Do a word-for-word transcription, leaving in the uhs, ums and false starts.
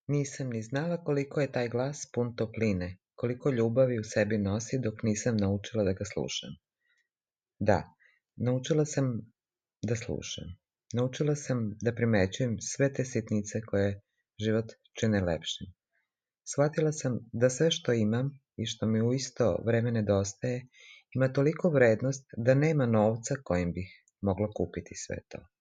Nisam ni znala koliko je taj glas pun topline, koliko ljubavi u sebi nosi dok nisam naučila da ga slušam. Da, naučila sam da slušam. Naučila sam da primećujem sve te sitnice koje život čine lepšim. Shvatila sam da sve što imam i što mi u isto vreme nedostaje ima toliko vrednost da nema novca kojim bih mogla kupiti sve to.